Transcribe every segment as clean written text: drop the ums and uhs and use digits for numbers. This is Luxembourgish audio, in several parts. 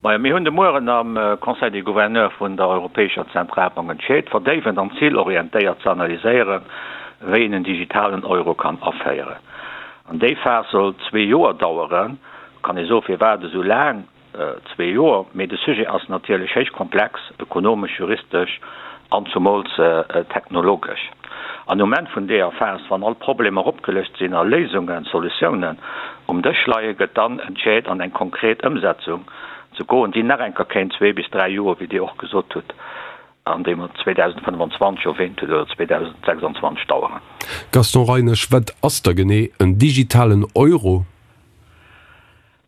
Majo, mir hunn de Mueren am Conseil des Gouverneurs vun der Europäescher Zentralbank entscheet, verdéiwend an zilorientéiert ze analyséieren, wéi een en digitalen Euro kann aféieren. An déi Phas soll zwee Joer daueren. Kann ee soen, firwat esou laang? Zwee Joer, mee de Sujet ass natierlech héich komplex, ökonomesch, juristesch an zumools technologesch. An um Enn vun deeër Phas, wann all d'Problemer opgelëscht sinn a Léisungen, Solutiounen um Dësch leien, gëtt dann entscheet an eng konkret Ëmsetzung ze goen, déi nach enker kéint zwee bis dräi Joer, wéi Dir och gesot hutt, an déi mer 2025 erwähnt hutt, oder 2026 daueren. Gaston Reinesch, Wat ass da genee en digitalen Euro?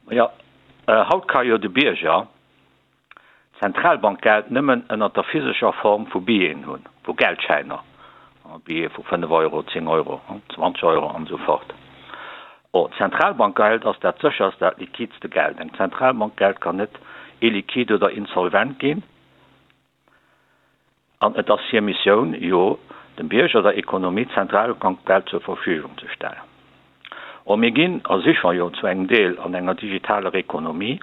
Majo, haut ka jo de Bierger d'Zentralbankgeld nëmmen ënnert der physescher Form vu Billeten hunn, vu Geldschäiner, Billete vu 5 Euro, 10 Euro, 20 Euro an esou fort. Or, d'Zentralbankgeld ass dat sécherst, dat liquidste Geld. Eng Zentralbankgeld kann net illiquide oder insolvent ginn. An et ass hir Missioun jo, dem Bierger, der Ekonomie Zentralbankgeld zur Verfügung ze stellen. Or, mir ginn a si scho jo zu engem Deel an enger digitaler Ekonomie.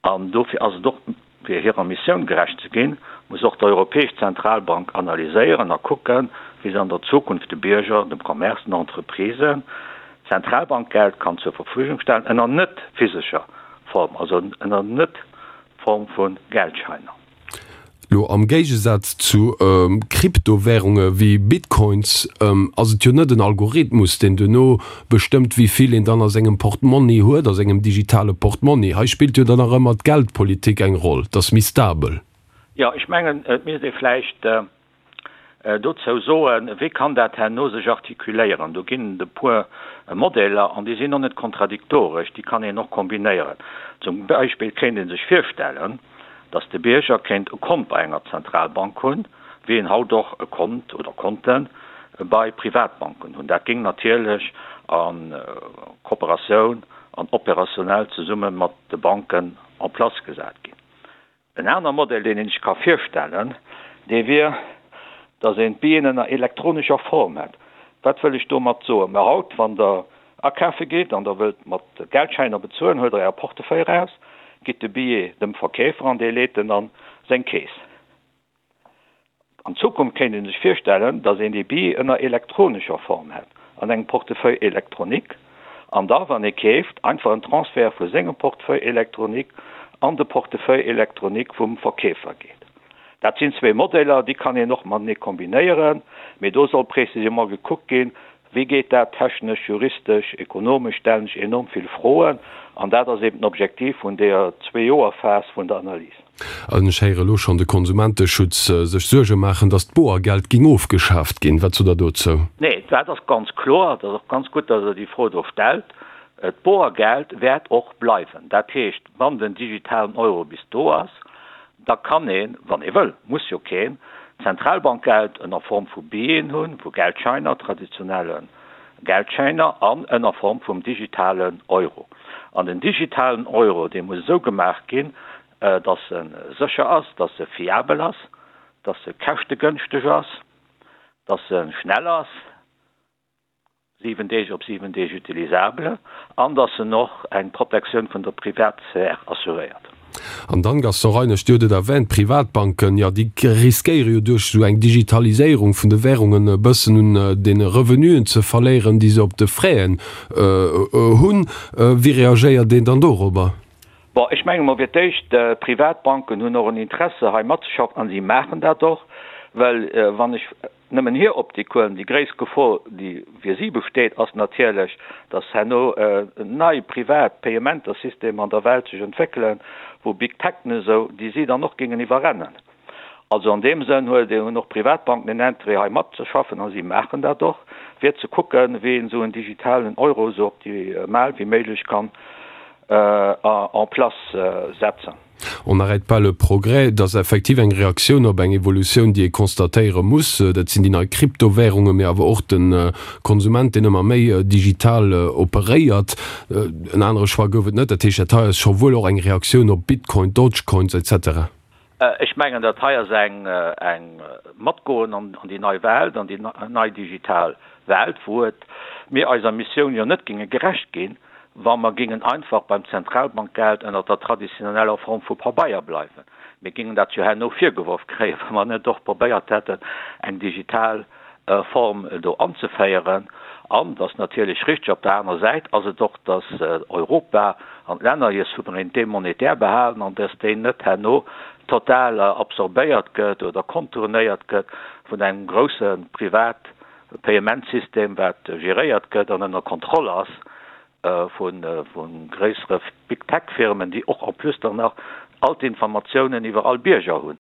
An dofir ass et och, fir hirer Missioun gerecht ze ginn, muss och d'Europäesch Zentralbank analyséieren a kucken, wéi se an der Zukunft de Bierger, dem Commerce, den Entreprisen Zentralbankgeld kann zur Verfügung stellen, ënner net physescher Form, also ënner net Form vu Geldscheiner. Lo am Géigesaz zu Kryptowärunge wéi Bitcoins ass et jo net en Algorithmus, deen duerno bestëmmt, wéi vill een dann a sengem Portmonni huet, a sengem digitale Portmonni. Hei spillt jo dann nach ëmmer d'Geldpolitik eng Roll, et ass méi stabel. Jo, ech mengen, et misst ee vläicht dozou soen, wéi kann dat herno sech artikuléieren. Do ginn et e puer Modeller an déi sinn och net kontradiktoresch, déi kann een och kombinéieren. Zum Beispill kéint ee sech virstellen, datt de Bierger kéint e Kont bei enger Zentralbank hunn, wéi een haut och e Kont oder Konte bei Privatbanken hunn. Dat géing natierlech a Kooperatioun an operationell zesumme mat de Banken en place gesat ginn. En aner Modell, deen een sech ka virstellen, dee wier, datt een d'Billeten ënner elektronescher Form hätt. Wat wëll ech domat soen? Mä haut, wann Der akafe gitt an Der wëllt mat Geldschäiner bezuelen, huelt Der Äre Portefeuille eraus, gitt de Billet dem Verkeefer an dee leet en an seng Keess. An Zukunft kéint ee sech virstellen, datt een déi Billet ënner elektronescher Form hätt, an engem Portefeuille électronique, an da, wann ee keeft, einfach en Transfert vu sengem Portefeuille électronique an de Portefeuille électronique vum Verkeefer geet. Dat sinn zwee Modeller, déi kann een och matenee kombinéieren, mee do soll précisément gekuckt ginn, Wéi geet dat technesch, juristesch, ekonomesch, stellen sech enorm vill Froen. An dat ass eben den Objektiv vun deeër Zwee-Joer-Phas vun der Analys. An ech héiere elo schonn de Konsumenteschutz sech Suerge maachen, datt d'Boergeld ging ofgeschaaft ginn. Wat sot Der dozou? Nee, dat ass ganz kloer. Et ass och ganz gutt, datt Der déi Fro do stellt. D'Boergeld wäert och bleiwen. Dat heescht, wann den digitalen Euro bis do ass, Da kann een, wann ee wëll, muss jo keen, Zentralbankgeld ënner Form vu Billeten hunn, vu Geldscheiner, traditionelle Geldscheiner, an ënner Form vum digitalen Euro. An den digitalen Euro, dee muss esou gemaach ginn, dass e sécher ass, dass e fiabel ass, dass e käschtegënschteg ass, dass e schnell ass, 7 Deeg op 7 Deeg utilisable an dass en och eng Protektioun vun der Privatsphär assuréiert. An dann, Gaston Reinesch, Dir hutt et erwähnt, d'Privatbanken, jo, déi riskéiere jo duerch esou eng Digitaliséierung vun de Währungen e bëssen un deene Revenuen ze verléieren, déi se op de Fräen hunn. Wéi reagéiert een dann dorobber? Bon, ech menge mol fir d'éischt, d'Privatbanken hunn och en Interesse hei matzeschaffen an si maachen dat och, well wann ech Nëmmen hir Optik huelen. Déi gréisst Gefor, déi fir si besteet, ass natierlech, datt herno nei privat Payementersystemer an der Welt sech entwéckelen, wou Big Tech'en esou, déi si dann och géingen iwwerrennen. Also an deem Sënn huet hunn och Privatbanken en Interêt hei matzeschaffen, a si maachen dat och, fir ze kucken, wéi een esou en digitalen Euro esou optimal wéi méiglech kann en place setzen. On n'arrête pas le progrès, et ass effektiv eng Reaktioun op eng Evolutioun, déi ee constatéiere muss. Dat sinn déi nei Kryptowährungen, mee awer och de Konsument, deen ëmmer méi digital operéiert. En anere Choix gouf et net. Dat heescht, dat hei ass scho wuel och eng Reaktioun op Bitcoin, Dogecoins, etc. Ech mengen, dat hei ass eng Matgoen an déi nei Welt, an déi nei digital Welt, wou et mir eiser Missioun jo net géinge gerecht ginn, wa mer géingen einfach beim Zentralbankgeld ënner der traditioneller Form vu Pabeier bleiwen. Mir géingen dat jo herno virgeworf kréien, wa mer net och probéiert hätten, eng digital Form do anzeféieren. An et ass natierlech richteg, op der anerer Säit ass et och, dass Europa an d'Länner hir Souveraineté monétaire behalen an dass déi net herno total absorbéiert gëtt oder contournéiert gëtt vun engem grousse Privat-Payementsystem, wat geréiert gëtt an ënner Kontroll ass vu gréissere Big-Tech-Firmen, déi och en plus dann nach all d'Informatiounen iwwer all Bierger hunn.